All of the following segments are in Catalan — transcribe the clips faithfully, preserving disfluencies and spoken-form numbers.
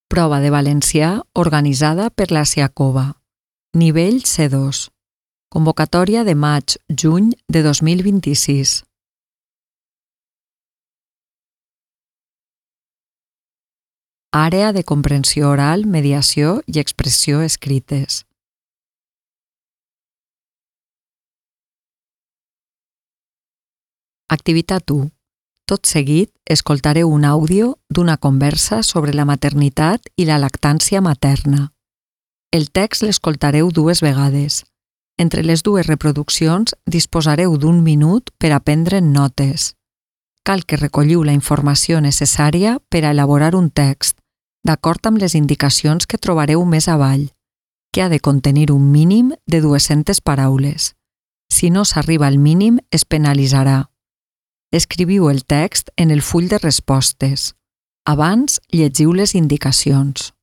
Prova de valencià organitzada per la SIACOVA. Nivell C dos. Convocatòria de maig-juny de dos mil vint-i-sis. Àrea de comprensió oral, mediació i expressió escrites. Activitat u. Tot seguit, escoltareu un àudio d'una conversa sobre la maternitat i la lactància materna. El text l'escoltareu dues vegades. Entre les dues reproduccions disposareu d'un minut per a prendre notes. Cal que recolliu la informació necessària per a elaborar un text, d'acord amb les indicacions que trobareu més avall, que ha de contenir un mínim de dues-centes paraules. Si no s'arriba al mínim, es penalitzarà. Escriviu el text en el full de respostes. Abans, llegiu les indicacions.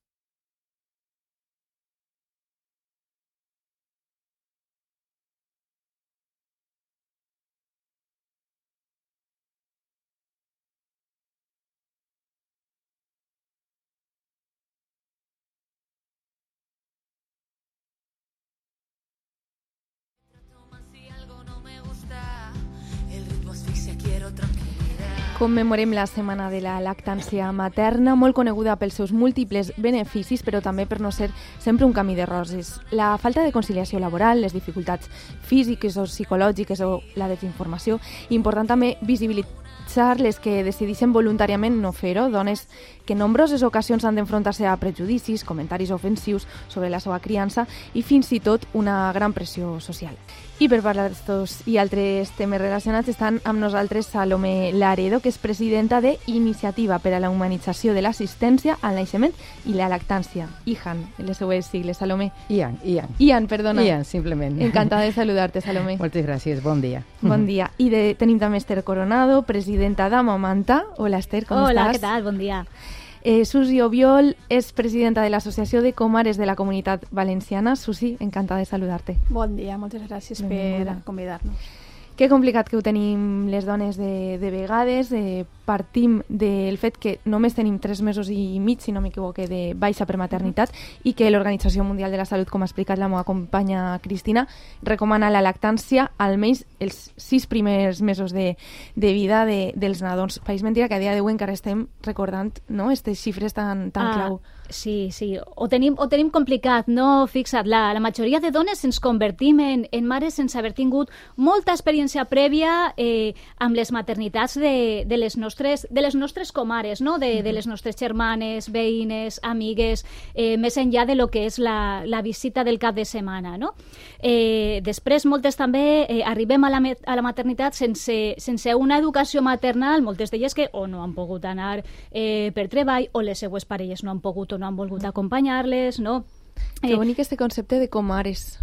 Commemorem la Setmana de la Lactància Materna, molt coneguda pels seus múltiples beneficis, però també per no ser sempre un camí de roses. La falta de conciliació laboral, les dificultats físiques o psicològiques o la desinformació, important també visibilitzar les que decideixen voluntàriament no fer-ho, dones que en nombroses ocasions han d'enfrontar-se a prejudicis, comentaris ofensius sobre la seva criança i fins i tot una gran pressió social. I per parlar d'estos i altres temes relacionats estan amb nosaltres Salomé Laredo, que és presidenta de Iniciativa per a la Humanització de l'Assistència al Naixement i la Lactància, I H A N, les seues sigles, Salomé. I A N, I A N. I A N, perdona. I A N, simplement. Encantada de saludar-te, Salomé. Moltes gràcies, bon dia. Bon dia. I de, tenim també Esther Coronado, presidenta d'Amamanta. Hola, Esther, com Hola, estàs? què tal? Bon dia. Eh, Susi Obiol és presidenta de l'Associació de Comares de la Comunitat Valenciana. Susi, encantada de saludar-te. Bon dia, moltes gràcies per convidar-nos. Que complicat que ho tenim les dones de, de vegades. Eh, partim del fet que només tenim tres mesos i mig, si no m'equivoque, de baixa per maternitat i que l'Organització Mundial de la Salut, com ha explicat la meva companya Cristina, recomana la lactància almenys els sis primers mesos de, de vida de, dels nadons. Pareix mentira que a dia d'avui encara estem recordant, no?, aquestes xifres tan, tan ah, clau. Sí, sí, ho tenim, ho tenim complicat, no? Fixa't, la, la majoria de dones ens convertim en, en mares sense haver tingut molta experiència prèvia eh, amb les maternitats de, de, les nostres, de les nostres comares, no? de, de les nostres germanes, veïnes, amigues, eh, més enllà de lo que és la, la visita del cap de setmana. No? Eh, després, moltes també eh, arribem a la, a la maternitat sense, sense una educació maternal, moltes d'elles que o no han pogut anar eh, per treball o les seues parelles no han pogut no han volgut acompanyar-les, no? Que bonic este concepte de comares.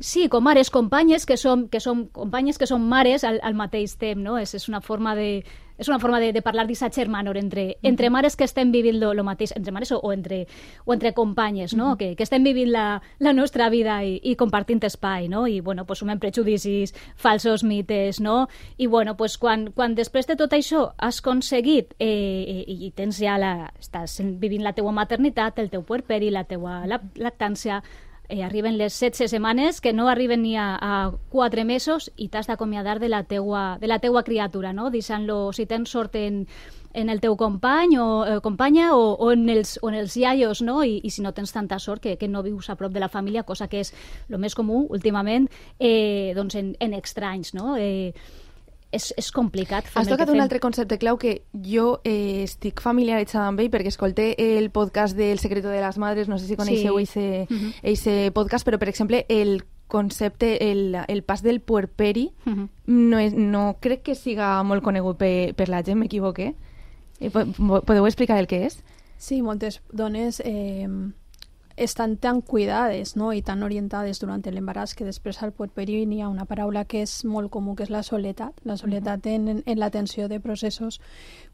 Sí, comares, companyes que som, que som companyes que són mares al, al mateix temps, no? És, és una forma de és una forma de, de parlar d'aquest germanor entre, entre mares que estem vivint el mateix, entre mares o, o, entre, o entre companyes, no? Uh-huh. que, que estem vivint la, la nostra vida i, i compartint espai, no? I, bueno, pues, sumem prejudicis, falsos mites, no? I, bueno, pues, quan, quan després de tot això has aconseguit eh, i, i tens ja la, estàs vivint la teua maternitat, el teu puerperi, la teua lactància, Eh, arriben les setze setmanes, que no arriben ni a, a quatre mesos i t'has d'acomiadar de la teua, de la teua criatura, no? Deixant-lo, si tens sort en, en el teu company o eh, companya o, o, en els, o en els iaios, no? I, i si no tens tanta sort que, que no vius a prop de la família, cosa que és el més comú últimament, eh, doncs en, en estranys, no? Eh, És, és complicat. Has tocat un altre concepte clau que jo eh, estic familiaritzada amb ell perquè escolté el podcast del Secreto de las Madres, no sé si coneixeu ese, sí. ese podcast, però per exemple el concepte, el, el pas del puerperi, uh-huh. no, és, no crec que siga molt conegut per, per la gent, m'equivoqué. Eh, podeu explicar el que és? Sí, moltes dones eh, estan tan cuidades, no? I tan orientades durant l'embaràs que després al puerperi hi ha una paraula que és molt comú, que és la soledat. La soledat en, en l'atenció de processos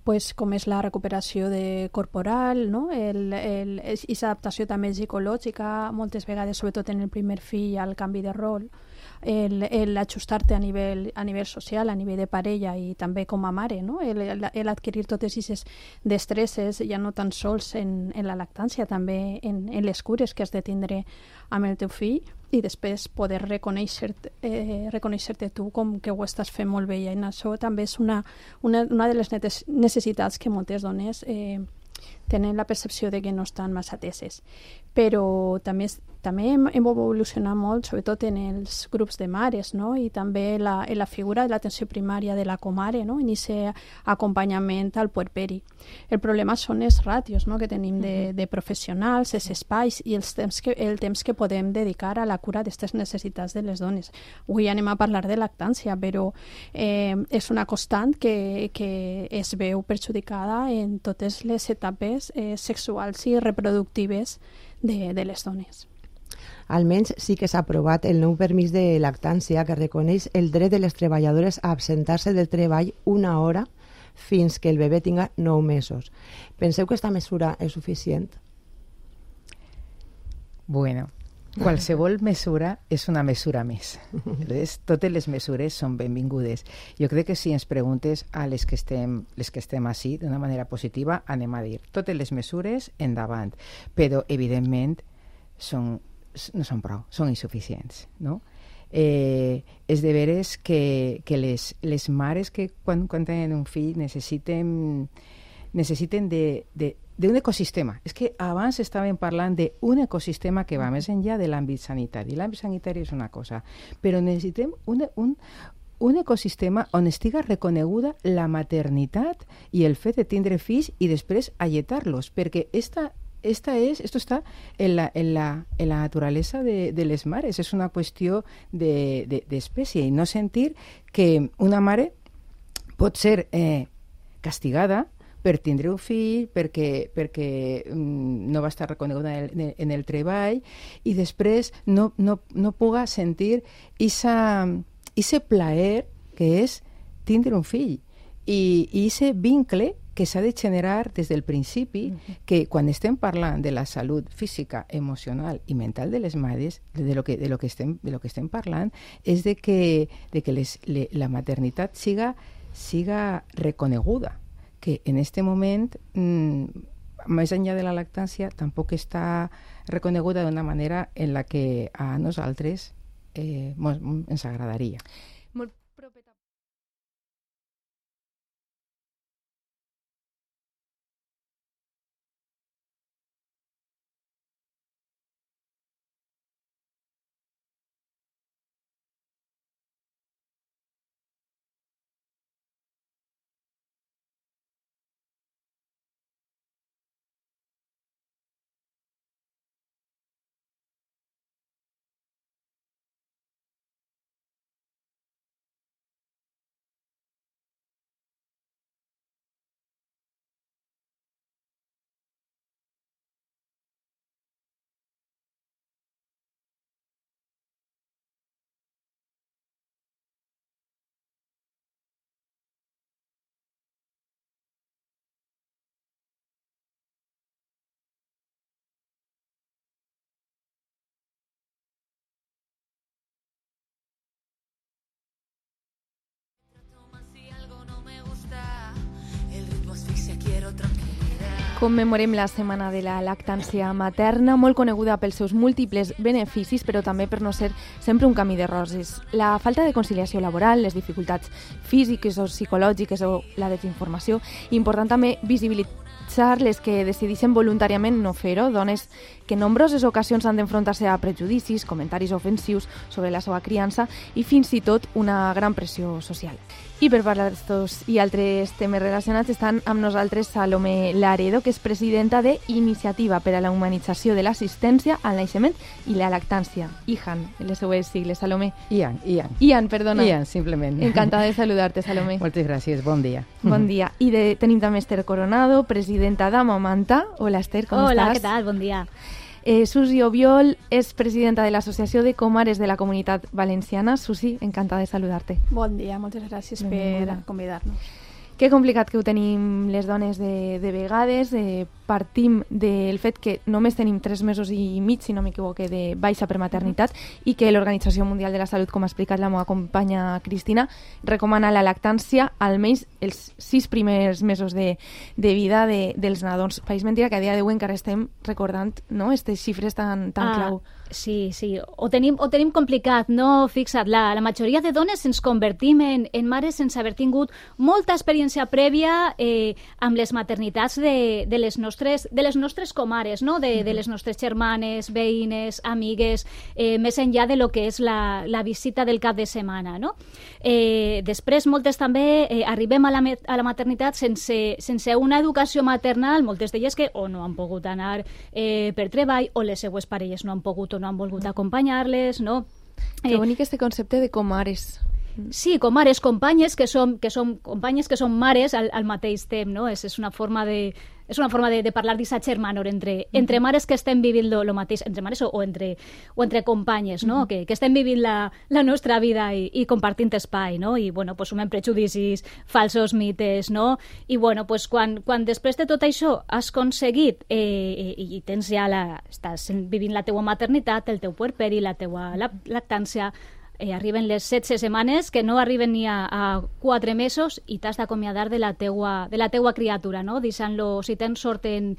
pues, com és la recuperació de corporal, no? el, el, i l'adaptació també psicològica, moltes vegades, sobretot en el primer fill, al canvi de rol, el, el ajustar-te a nivell, a nivell social, a nivell de parella i també com a mare, no? el, el, el adquirir totes aquestes destresses ja no tan sols en, en la lactància, també en, en les cures que has de tindre amb el teu fill i després poder reconèixer-te eh, reconèixer tu com que ho estàs fent molt bé, i en això també és una, una, una de les necessitats que moltes dones eh, tenen la percepció de que no estan massa ateses. Però també, també hem, hem evolucionat molt, sobretot en els grups de mares, no? I també la, en la figura de l'atenció primària de la comare, no? En aquest acompanyament al puerperi. El problema són els ràtios, no? Que tenim de, de professionals, els espais i els temps que, el temps que podem dedicar a la cura d'aquestes necessitats de les dones. Avui anem a parlar de lactància, però eh, és una constant que, que es veu perjudicada en totes les etapes eh, sexuals i reproductives de, de les dones. Almenys sí que s'ha aprovat el nou permís de lactància que reconeix el dret de les treballadores a absentar-se del treball una hora fins que el bebè tinga nou mesos. Penseu que aquesta mesura és suficient? Bueno, qualsevol mesura és una mesura més. Llavors, totes les mesures són benvingudes. Jo crec que si ens preguntes a les que estem, les que estem així d'una manera positiva, anem a dir totes les mesures endavant, però evidentment són, no són prou, són insuficients, no? Eh, és de veres que, que les, les mares que quan, quan tenen un fill necessiten, necessiten de, de d'un ecosistema. És que abans estàvem parlant d'un ecosistema que va més enllà de l'àmbit sanitari. L'àmbit sanitari és una cosa, però necessitem un, un, un ecosistema on estiga reconeguda la maternitat i el fet de tindre fills i després alletar-los, perquè esta, esta és, esto està en la, en la, en la naturalesa de, de les mares. És una qüestió de, de, d'espècie i no sentir que una mare pot ser eh, castigada per tindre un fill, perquè, perquè mm, no va estar reconeguda en el, en el treball i després no, no, no puga sentir ese plaer que és tindre un fill i ese vincle que s'ha de generar des del principi, uh-huh. que quan estem parlant de la salut física, emocional i mental de les mares, de, de, lo, que, de, lo, que estem, de lo que estem parlant, és de que, de que les, le, la maternitat siga, siga reconeguda, que en este moment, mmm, més enllà de la lactància, tampoc està reconeguda d'una manera en la que a nosaltres eh, ens agradaria. Molt propeta. Commemorem la Setmana de la Lactància Materna, molt coneguda pels seus múltiples beneficis, però també per no ser sempre un camí de roses. La falta de conciliació laboral, les dificultats físiques o psicològiques o la desinformació, important també visibilitzar les que decideixen voluntàriament no fer-ho, dones que en nombroses ocasions han d'enfrontar-se a prejudicis, comentaris ofensius sobre la seva criança i fins i tot una gran pressió social. I per parlar d'estos i altres temes relacionats estan amb nosaltres Salomé Laredo, que és presidenta de Iniciativa per a la Humanització de l'Assistència al Naixement i la Lactància, I H A N, en les seues sigles, Salomé. I A N, I A N. I A N, perdona. I A N, simplement. Encantada de saludar-te, Salomé. Moltes gràcies, bon dia. Bon dia. I de, tenim també Esther Coronado, presidenta d'Amamanta. Hola, Esther, com Hola, estàs? Hola, què tal? Bon dia. Eh, Susi Obiol és presidenta de l'Associació de Comares de la Comunitat Valenciana. Susi, encantada de saludar-te. Bon dia, moltes gràcies per convidar-nos. Que complicat que ho tenim les dones de, de vegades. Eh, partim del fet que només tenim tres mesos i mig, si no m'equivoque, de baixa per maternitat mm-hmm. i que l'Organització Mundial de la Salut, com ha explicat la meva companya Cristina, recomana la lactància almenys els sis primers mesos de, de vida de, dels nadons. País mentira que a dia d'avui encara estem recordant, no?, aquestes xifres tan, tan ah, clau. Sí, sí, ho tenim, ho tenim complicat, no? Fixa't, la, la majoria de dones ens convertim en, en mares sense haver tingut molta experiència prèvia eh, amb les maternitats de, de, les nostres, de les nostres comares, no? de, de les nostres germanes, veïnes, amigues, eh, més enllà de lo que és la, la visita del cap de setmana. No? Eh, després, moltes també eh, arribem a la, a la maternitat sense, sense una educació maternal, moltes d'elles que o no han pogut anar eh, per treball o les seues parelles no han pogut o no han volgut acompanyar-les, no? Que bonic este concepte de comares. Sí, comares, companyes que som, que som companyes que som mares al, al mateix temps, no? És, és una forma de és una forma de, de parlar d'aquesta germanor entre, entre mares que estem vivint lo, lo mateix, entre mares o, o, entre, o entre companyes, no? Uh-huh. que, que estem vivint la, la nostra vida i, i compartint espai, no? I, bueno, pues, sumem prejudicis, falsos mites, no? I, bueno, pues, quan, quan després de tot això has aconseguit eh, i, i tens ja la, estàs vivint la teua maternitat, el teu puerperi, la teua lactància, Eh, arriben les setze setmanes, que no arriben ni a, a quatre mesos, i t'has d'acomiadar de la teua, de la teua criatura, no? Deixant-lo, si tens sort en,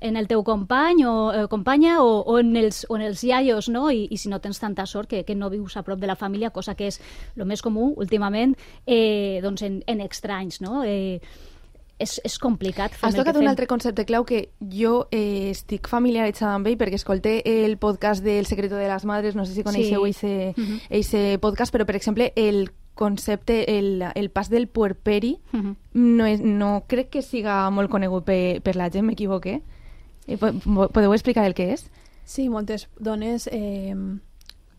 en el teu company o eh, companya o, o, en els, o en els iaios, no? I, i si no tens tanta sort que, que no vius a prop de la família, cosa que és el més comú últimament, eh, doncs en, en extranys, no? Eh, És, és complicat. Has tocat un altre concepte clau que jo eh, estic familiaritzada amb ell perquè escolté el podcast del Secreto de las Madres, no sé si coneixeu ese sí. uh-huh. podcast, però per exemple el concepte, el, el pas del puerperi uh-huh. no, és, no crec que siga molt conegut per, per la gent, m'equivoqué. Eh, podeu explicar el que és? Sí, moltes dones eh,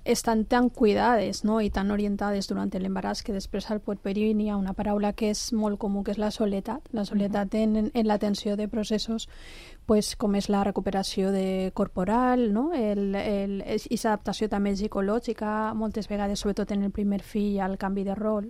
estan tan cuidades, no? I tan orientades durant l'embaràs que després al puerperi hi ha una paraula que és molt comú, que és la soledat. La soledat uh-huh. en, en l'atenció de processos pues, com és la recuperació de corporal, no? el, el, i l'adaptació també psicològica, moltes vegades, sobretot en el primer fill, al canvi de rol,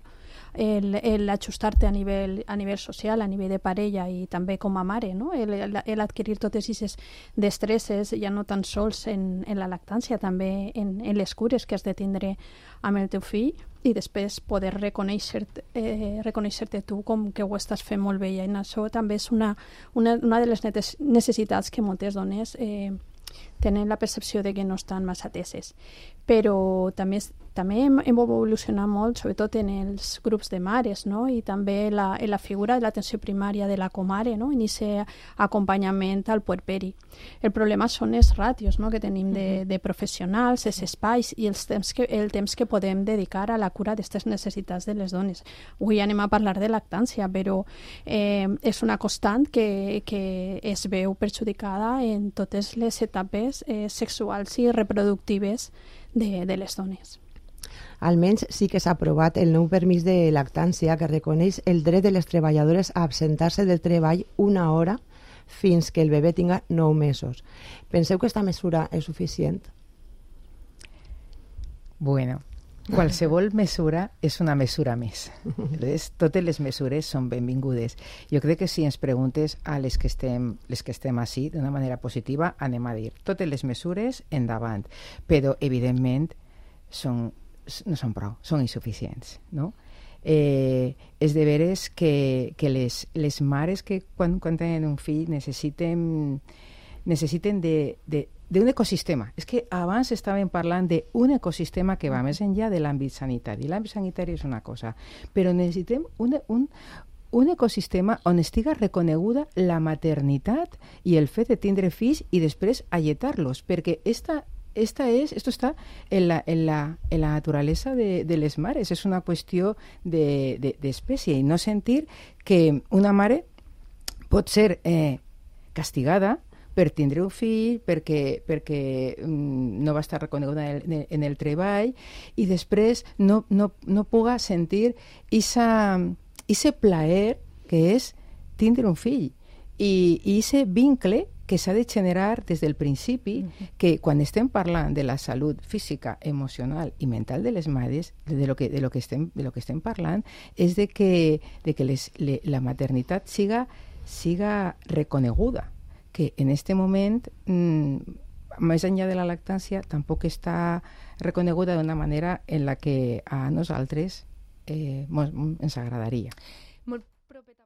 el, el ajustar-te a nivell, a nivell social, a nivell de parella i també com a mare, no? el, el, el adquirir totes aquestes destresses, ja no tan sols en, en la lactància, també en, en les cures que has de tindre amb el teu fill, i després poder reconèixer-te eh, reconèixer-te tu com que ho estàs fent molt bé. I això també és una, una, una de les necessitats que moltes dones eh, tenen la percepció de que no estan massa ateses. Però també, també hem, hem evolucionat molt, sobretot en els grups de mares, no? I també la, en la figura de l'atenció primària de la comare, no? En aquest acompanyament al puerperi. El problema són els ràtios, no? Que tenim de, de professionals, els espais i els temps que, el temps que podem dedicar a la cura d'aquestes necessitats de les dones. Avui anem a parlar de lactància, però eh, és una constant que, que es veu perjudicada en totes les etapes eh, sexuals i reproductives de, de les dones. Almenys sí que s'ha aprovat el nou permís de lactància que reconeix el dret de les treballadores a absentar-se del treball una hora fins que el bebè tinga nou mesos. Penseu que aquesta mesura és suficient? Bueno, qualsevol mesura és una mesura més. Entonces, totes les mesures són benvingudes. Jo crec que si ens preguntes a les que estem, les que estem així, d'una manera positiva, anem a dir totes les mesures endavant, però evidentment són, no són prou, són insuficients, no? Eh, és de veres que, que les, les mares que quan, quan tenen un fill necessiten, necessiten de, de d'un ecosistema. És que abans estàvem parlant d'un ecosistema que va més enllà de l'àmbit sanitari. L'àmbit sanitari és una cosa, però necessitem un, un, un ecosistema on estiga reconeguda la maternitat i el fet de tindre fills i després alletar-los, perquè esta, esta és, esto està en la, en la, en la naturalesa de, de les mares. És una qüestió d'espècie de, de, i no sentir que una mare pot ser eh, castigada per tindre un fill, perquè, perquè mm, no va estar reconeguda en el, en el treball i després no, no, no puga sentir ese plaer que és tindre un fill. I, i ese vincle que s'ha de generar des del principi, uh-huh. que quan estem parlant de la salut física, emocional i mental de les mares, de lo que, de lo que, estem, de lo que estem parlant, és de que, de que les, le, la maternitat siga, siga reconeguda, que en este moment, mmm, més enllà de la lactància, tampoc està reconeguda d'una manera en la que a nosaltres eh, ens agradaria. Molt propet